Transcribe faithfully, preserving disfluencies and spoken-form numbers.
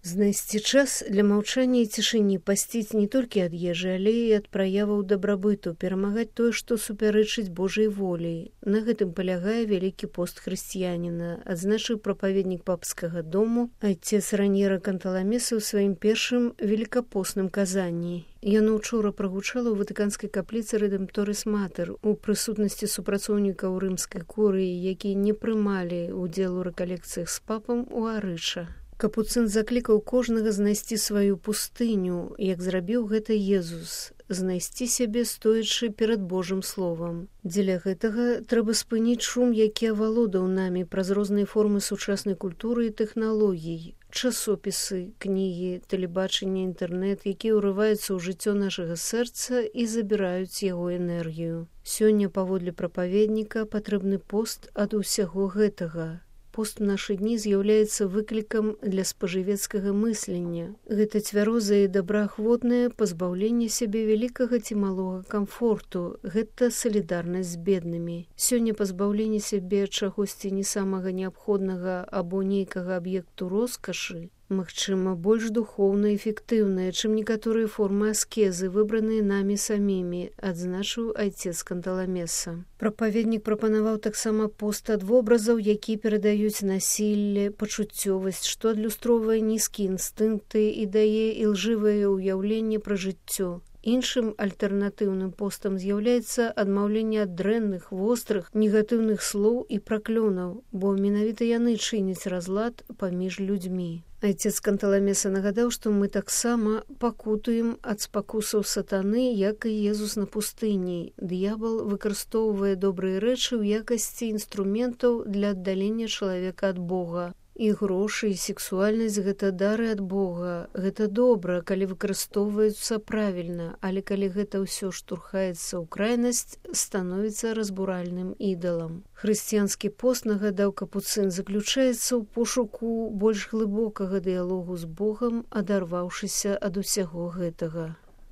Знайсці час для маўчання і цішыні, пасціць не толькі ад ежы, але і ад праяваў дабрабыту, перамагаць тое, што супярэчыць Божай волі. На гэтым палягае вялікі пост хрысціяніна, адзначыў прапаведнік папскага дому айцец Раньера Канталамеса ў сваім першым велікапостным казанні. Яно ўчора прагучала ў ватыканскай капліцы Рэдэмпторыс Матэр у прысутнасці супрацоўнікаў рымскай курыі, якія не прымалі ўдзел у рэкалекцыях з папам у Арыча. Капуцын заклікаў кожнага знайсці сваю пустыню, як зрабіў гэта Езус, знайсці сябе, стоячы перад Божым словам. Дзеля гэтага трэба спыніць шум, які авалодаў намі праз розныя формы сучаснай культуры і тэхналогій, часопісы, кнігі, тэлебачанне, інтэрнэт, якія ўрываюцца ў жыццё нашага сэрца і забіраюць яго энергію. Сёння, паводле прапаведніка, патрэбны пост ад усяго гэтага. Пост у нашы дні з'яўляецца выклікам для спажывецкага мыслення. Гэта цвярозае і добраахвотнае пазбаўленне сябе вялікага ці малога камфорту. Гэта салідарнасць з беднымі. Сёння пазбаўленне сябе чагосьці не самага неабходнага або нейкага аб'екту роскашы, магчыма, больш духоўна эфектыўная, чым некаторыя формы аскезы, выбраныя намі самімі, адзначыў айцец Канталамеса. Прапаведнік прапанаваў таксама пост ад вобразаў, якія перадаюць насілле, пачуццёвасць, што адлюстроўвае нізкія інстынкты і дае ілжывае ўяўленне пра жыццё. Іншым альтэрнатыўным постам з'яўляецца адмаўленне ад дрэнных, вострых, негатыўных слоў і праклёнаў, бо менавіта яны чыняць разлад паміж людзьмі. Айцец Канталамеса нагадаў, што мы таксама пакутуем ад спакусаў сатаны, як і Езус на пустыні. Д'ябал выкарыстоўвае добрыя рэчы ў якасці інструментаў для аддалення чалавека ад Бога. І грошы, і сексуальнасць – гэта дары ад Бога. Гэта добра, калі выкарыстоўваюцца правільна, але калі гэта ўсё штурхаецца ў крайнасць, становіцца разбуральным ідалам. Хрысціянскі пост, нагадаў капуцын, заключаецца ў пошуку больш глыбокага дыялогу з Богам, адарваўшыся ад усяго гэтага.